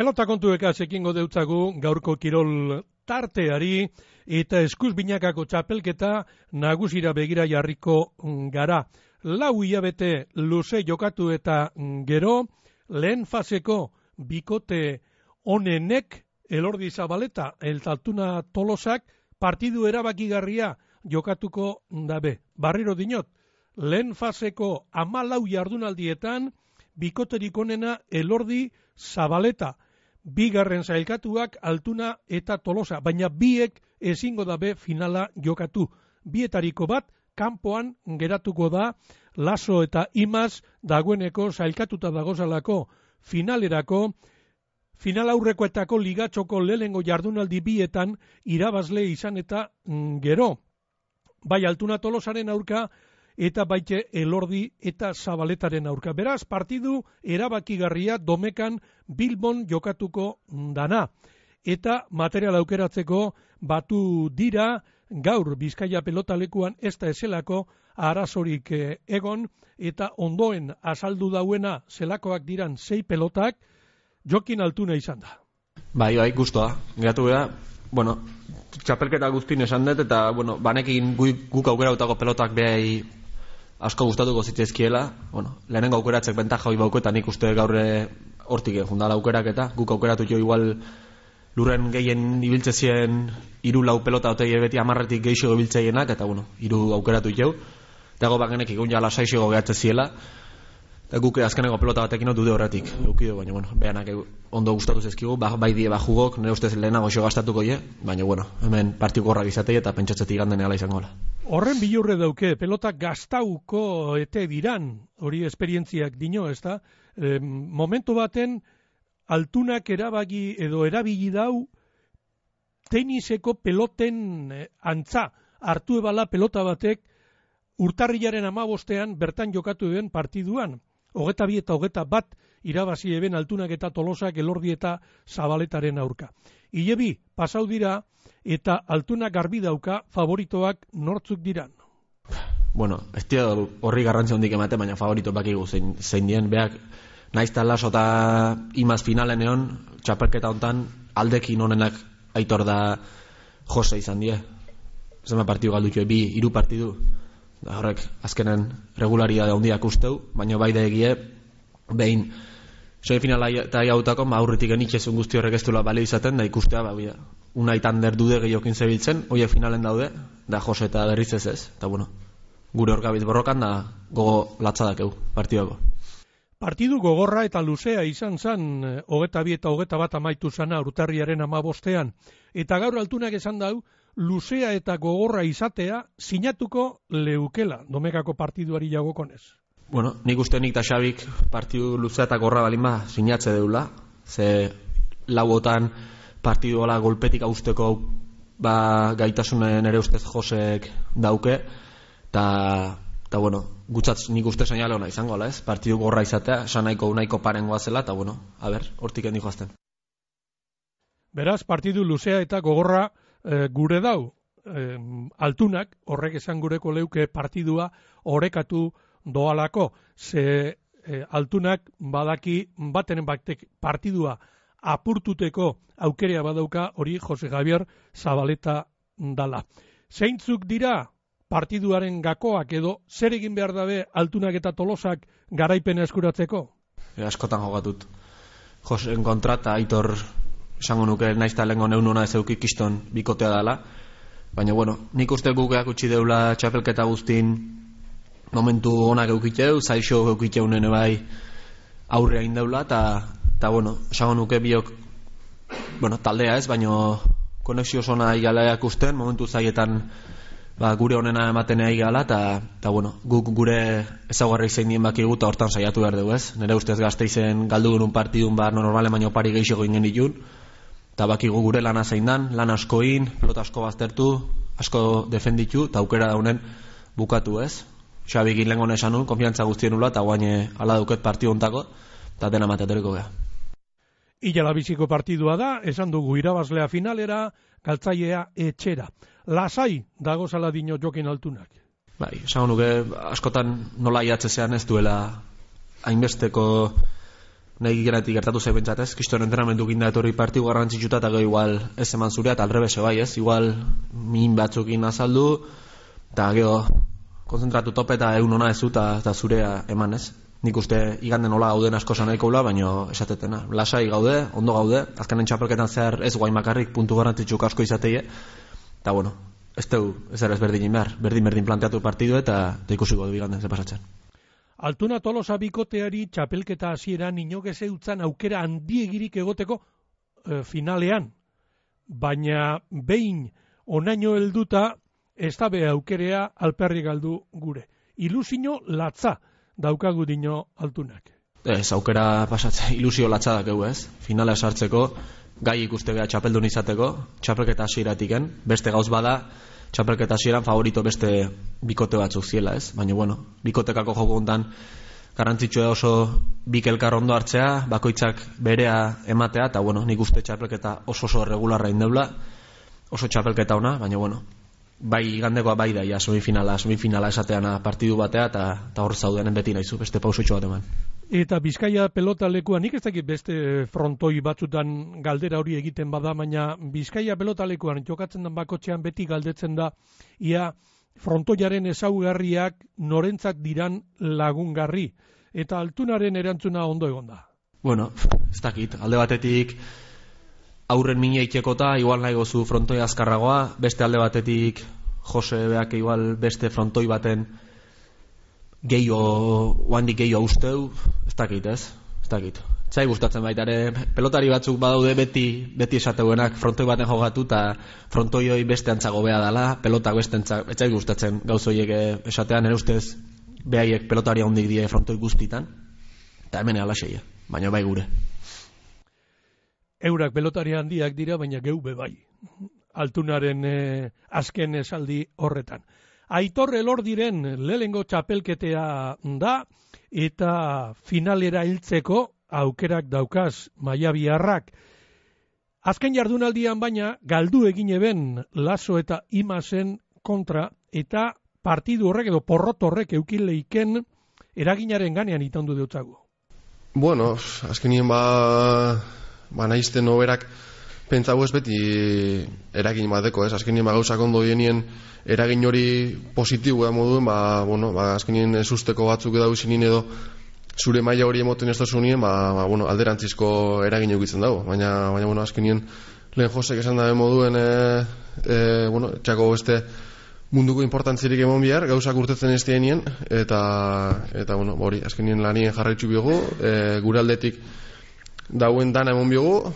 Pelota kontueka sekingo deutzagu gaurko kirol tarteari eta eskuz binakako txapelketa nagusira begira jarriko gara. 4 hilabete luze jokatu eta gero lehen faseko bikote honenek Elordi Zabaleta eta Altuna Tolosak partidu erabakigarria jokatuko dabe. Barriro dinot, lehen faseko 14 jardunaldietan bikoterik onena Elordi Zabaleta. Bigarren sailkatuak Altuna eta Tolosa, baina biek ezingo dabe finala jokatu. Bietariko bat kanpoan geratuko da Laso eta Imaz dagoeneko sailkatuta dagozalako finalerako. Final aurrekoetako ligatxoko lehengo jardunaldi bietan irabazle izan eta gero. Bai Altuna Tolosaren aurka eta baite Elordi eta Zabaletaren aurka. Beraz, partidu erabakigarria Domekan Bilbon jokatuko dana. Eta material aukeratzeko batu dira gaur Bizkaia pelotalekuan ez da ezelako arazorik egon eta ondoen azaldu dauena zelakoak diran 6 pelotak Jokin Altuna izan da. Bai, gustoa. Geratu gara, txapelketa guztin esan dut eta, banekin guk aukerautako pelotak behai asko gustatuko zitezkiela. Lehenengo aukeratzek bentaja hoi bauko eta nik uste gaur hortik jundala aukerak eta guk aukeratu jo igual lurren gehien ibiltzezien 3-4 pelota otei beti 10etik geixo ibiltzeienak eta, 3 aukeratu jo. Dago bagenek ikun jala 6 gehatze ziela. Eta guk azkeneko pelota batekin dude horretik eukido, baina, behanak ondo gustatu zezkigu, bai die bajugok, nire ustez lehenago xo gastatuko je, baina, hemen partiku horrak izatei eta pentsatzetik ganden ala izango la. Horren bilurre dauke, pelota gastauko ete diran, hori esperientziak dino, ez da? Momentu baten, Altunak erabagi edo erabili dau teniseko peloten antza, hartu ebala pelota batek urtarrilaren 15ean bertan jokatu den partiduan. 22 eta 21 irabazi eben Altunak eta Tolosak Elordi eta Zabaletaren aurka. Hilebi pasau dira eta Altunak garbi dauka favoritoak nortzuk diran. Ez dira horri garrantzi hondik emate, baina favorito bakigu zein dien, beak naiz eta Laso eta Imaz finalen egon, txapelketa hontan aldekin honenak Aitor da Jose izan die. Zema partidu galdutxo, 3 partidu. Horrek azkenen regularidade handiak usteu, baina bai da egie behin semifinala eta jautako aurretik genitxezun guzti horrek ez duela balio izaten da ikustea unaitan derdude gehiokin zebiltzen, hoiek finalen daude da Jose eta berriz ez, eta gure orkabit borrokan da gogo latzadakeu partidako. Partidu gogorra eta luzea izan zan 22 eta 21 amaitu zana urtarriaren 15ean, eta gaur Altunak esan dau luzea eta gogorra izatea sinatuko leukela Domekako partiduari jagokonez. Nik uste nik eta Xabik partidu luzea eta gogorra balin sinatze deula, ze lauotan partidu hola golpetik austeko gaitasunen ere ustez Josek dauke, eta gutzatz nik uste seinale hona izango ala ez, partidu gogorra izatea, nahiko parengoa zela, eta hortik endi joazten. Beraz, partidu luzea eta gogorra gure dau, Altunak, horrek esan gureko leuke partidua orekatu doalako, ze Altunak badaki batenen batek partidua apurtuteko aukerea badauka hori Jose Javier Zabaleta dala. Zeintzuk dira partiduaren gakoak edo zer egin behar dabe Altunak eta Tolosak garaipena eskuratzeko? Askotan jogatut. Joseen kontra eta Aitor esango nuke naizta lehenko neunona ez eukik kiston bikotea dela, baina nik uste gukeak utzi deula txapelketa guztin momentu onak eukiteu, zaixo eukiteu nene bai aurrea indeula, eta esango nuke biok taldea ez, baina konexio zona igala ikusten, momentu zaietan gure honena ematen igala, eta guk gure ezaugarri zein dien bakigu eta hortan saiatu behar dugu ez, nire ustez Gasteizen galdu genuen partidun normalen baino pari geixo goingen ditun, eta bakigu gure lana zein dan, lan askoin, pelota asko baztertu, asko defenditu, eta aukera daunen bukatu ez. Xabik lengon esan nun, konfiantza guztien nula, eta guaine ala dauket partidu ontako, eta dena mateatoreko geha. Ila biziko partidua da, esan dugu irabazlea finalera, galtzailea etxera. Lasai dago zala dino Jokin Altunak. Esan nuke askotan nola iatzezean ez duela hainbesteko nahi geratik gertatu zei bentsatez, kiston entrenamendu ginda etorri partidu garrantzitsuta eta gero igual ez eman zurea, eta alrebese bai ez, igual min batzukin azaldu, eta gero konzentratu tope eta egun ona ez zu eta zurea eman ez. Nik uste iganden nola gauden asko nahiko ula, baina esatetena. Lasai gaude, ondo gaude, azkenen txapelketan zehar ez guain makarrik puntu garrantzitsuk asko izateie, eta bueno, ez berdin behar, berdin planteatu partidu eta ikusiko du iganden ze pasatzen. Altuna Tolosa bikoteari txapelketa hasieran inok ez eutzan aukera handiegirik egoteko finalean, baina behin onaino helduta ez da be aukerea alperri galdu gure. Ilusio latza daukagu dino Altunak. Ez, aukera pasatzen, ilusio latza dakegu ez, finala sartzeko, gai ikuste beha txapeldun izateko, txapelketa hasieratiken, beste gauz bada, txapelketa hasieran favorito beste bikote batzuk ziela ez, baina bueno, bikotekako joko hontan garrantzitsua oso bik elkar ondo hartzea, bakoitzak berea ematea, eta bueno, nik uste txapelketa oso regularra indeula, oso txapelketa ona, baina bueno, bai igandekoa bai daia semifinala esateana partidu batea, eta hor zaudenen beti nahizu, beste pausotxo bat eman. Eta Bizkaia pelota lekuan, nik ez dakit beste frontoi batzutan galdera hori egiten bada, baina Bizkaia pelota lekuan jokatzen den bakotxean beti galdetzen da, ia frontoiaren ezaugarriak norentzat diran lagungarri, eta Altunaren erantzuna ondo egonda. Bueno, ez dakit, alde batetik aurren mina itekota, igual nahi gozu frontoi azkarragoa, beste alde batetik Jose beak igual beste frontoi baten oandik gehiago usteu, ez dakit. Zai gustatzen baita ere, pelotari batzuk badaude beti esateuenak frontoi baten jogatu eta frontoi hoi beste antzago beha dala, pelotak beste antzago, ez zai gustatzen gauzoiek esatean, ere ustez behaiek pelotari hondik die frontoi guztitan, eta hemen alaxeia, baina bai gure. Eurak pelotari handiak dira, baina geu bai. Altunaren azken esaldi horretan. Aitor Elordiren lehengo txapelketea da, eta finalera hiltzeko aukerak daukaz Maiabiarrak. Azken jardunaldian baina galdu egin eben Laso eta Imasen kontra, eta partidu horrek edo porrot horrek eukileiken eraginaren ganean itandu deutzago. Bueno, azkenien naizten oberak pentsau ez beti eragin bateko, ez? Azkenien gauzak ondo dienien eragin hori positiboa moduen, azkenien ez usteko batzuk edo edo zure maila hori emoten ez dozunien, alderantzizko eragin eukitzen dago. Baina azkenien lehen Josek esan dabe moduen, txako beste munduko importantzirik emon bihar, gauzak urtetzen ez dienien, eta hori, azkenien lanien jarraitzu biogu, gure aldetik dauen dana emon biogu,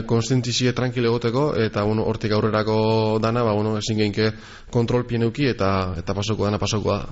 konstentizie tranquile egoteko, eta hortik aurrerako dana, ezin geinke kontrol pieneuki, eta pasoko da.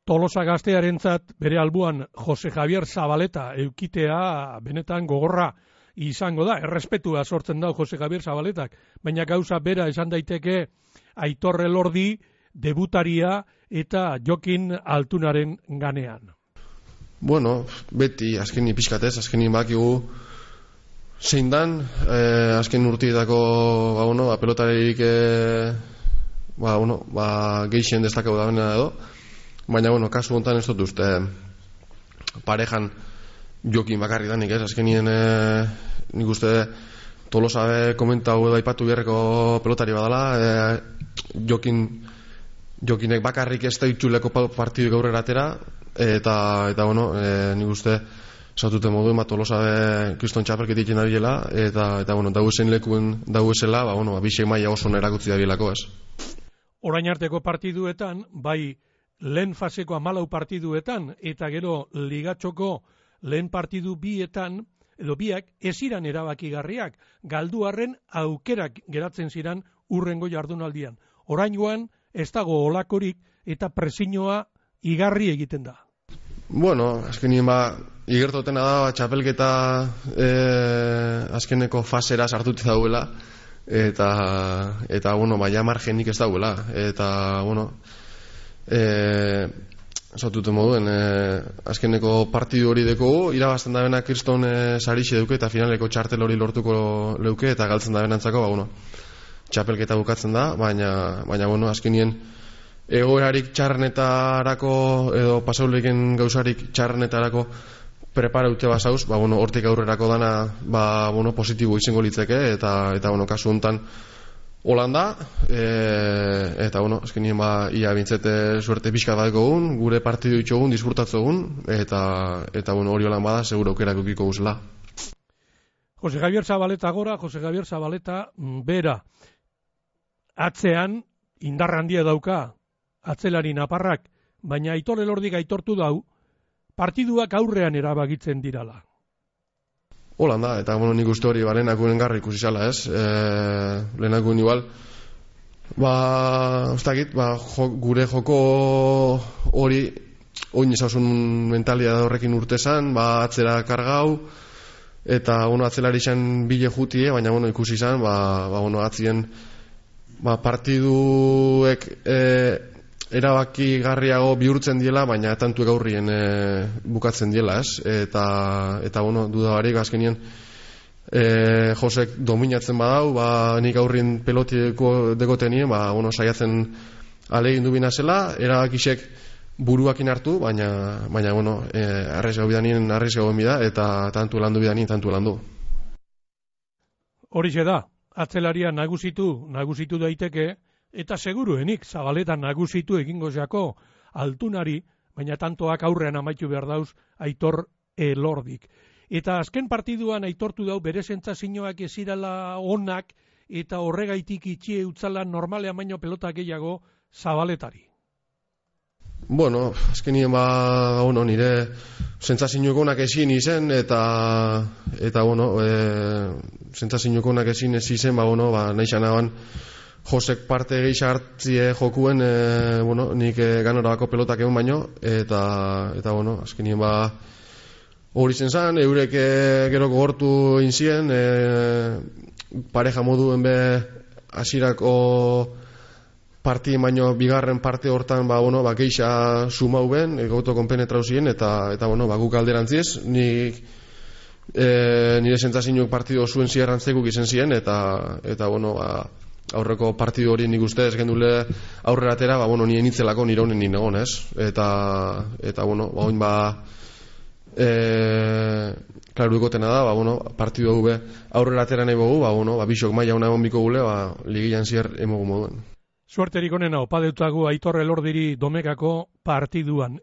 Tolosa gaztearentzat bere albuan Jose Javier Zabaleta eukitea benetan gogorra izango da, errespetua sortzen da Jose Javier Zabaletak, baina gauza bera esan daiteke Aitor Elordi debutaria eta Jokin Altunaren ganean. Bueno, beti azkeni pixkatez, azkeni bakigu zein dan, azken urtietako pelotarik geixen destakau da benena edo, baina kasu hontan ez dut uste parejan Jokin bakarri danik, ez? Azkenien nik uste Tolosa komentau edo aipatu beharreko pelotari badala, Jokinek bakarrik ez da itxuleko partidu gaurrera atera, eta nik uste zatuten modu Tolosa kriston txapelketik jena bilela, eta dago zen lekuen dago esela, bisek maia oso nerakutzi da bielako, ez? Orain arteko partiduetan, bai lehen faseko 14 partiduetan, eta gero ligatxoko lehen partidu bietan, edo biak, eziran erabakigarriak, galduarren aukerak geratzen ziran urrengo jardunaldian. Oraingoan ez dago olakorik eta presinoa igarri egiten da. Bueno, azkenien igertotena da txapelketa azkeneko fasera sartuti dauela, eta ja margenik ez dauela, eta zatuten moduen azkeneko partidu hori dekogu, irabazten da bena kriston sarixe duke eta finaleko txartel hori lortuko leuke eta galtzen da benantzako txapelketa bukatzen da, baina azkenien egoerarik txarrenetarako edo pasauleken gauzarik txarrenetarako prepara dute basauz, ba, bueno, hortik aurrerako dana, ba, bueno, positibo izango litzeke, eta bueno, kasu honetan Holanda, eta bueno, azkenien ba, ia bintzete suerte pixka badeko gun, gure partidu itxogun, disfrutatzogun, eta bueno, hori holan bada, seguro aukerak ukiko guzela. Jose Javier Zabaleta gora, Jose Javier Zabaleta bera. Atzean, indar handia dauka, atzelari naparrak, baina Aitor Elordik aitortu dau, partiduak aurrean erabakitzen dirala. Holanda, eta bueno, nik uste hori, ba, lehenakunen garri ikusi zala, ez? Lehenakun igual, ba, ustakit, ba, gure joko hori, oin ezausun mentalidad horrekin urtezan, ba, atzera kargau, eta, bueno, atzelari izan bile jutie, baina, bueno, ikusi izan, ba, bueno, atzien, ba, partiduek, erabaki garriago bihurtzen diela, baina tantuek aurrien bukatzen diela, ez? Eta bueno, duda barik azkenien Josek dominatzen badau, ba, nik aurrien pelotiko degotenien, ba, bueno, saiatzen alegin du binazela, erabakisek buruakin hartu, baina bueno, arrezgau bidanien arrezgau bida, eta tantu landu bidanien tantu landu. Horixe da, atzelaria nagusitu daiteke, eta seguruenik Zabaleta nagusitu egingo jako altunari, baina tantoak aurrean amaitu behar dauz Aitor Elordik. Eta azken partiduan aitortu dau bere sentsazioak ezirala onak, eta horregaitik itxie utzala normalean baino pelota gehiago Zabaletari. Bueno, azkenien ba, bueno, nire sentsazioak onak ezin izen, eta bueno, sentsazioak onak ezin ez izen, ba, bueno, ba, nahi xanaban Josek parte gehi hartzie jokuen, bueno, nik ganorabako pelotak egon baino, eta bueno, azkenien ba, hori zen, eurek gero gogortu inzien, pareja moduen be hasierako partien baino bigarren parte hortan, ba, bueno, ba, geixa sumau ben, gauto konpenetrau ziren, eta bueno, ba, guk alderantziz, nik nire sentsazioak partido zuen zierrantzekuk izen ziren, eta bueno, ba, aurreko partidu hori nik uste ez gendule aurrera atera, ba, bueno, nire nitzelako nire honen nire egon, ez? Eta bueno, ba, oin ba, klaru ikotena da, ba, bueno, partidu hau aurrera atera nahi bogu, ba, bueno, ba, bisok maia hona egon biko gule, ba, ligian zier emogu moduen. Suerterik onena opa deutagu Aitor Elordiri Domekako partiduan.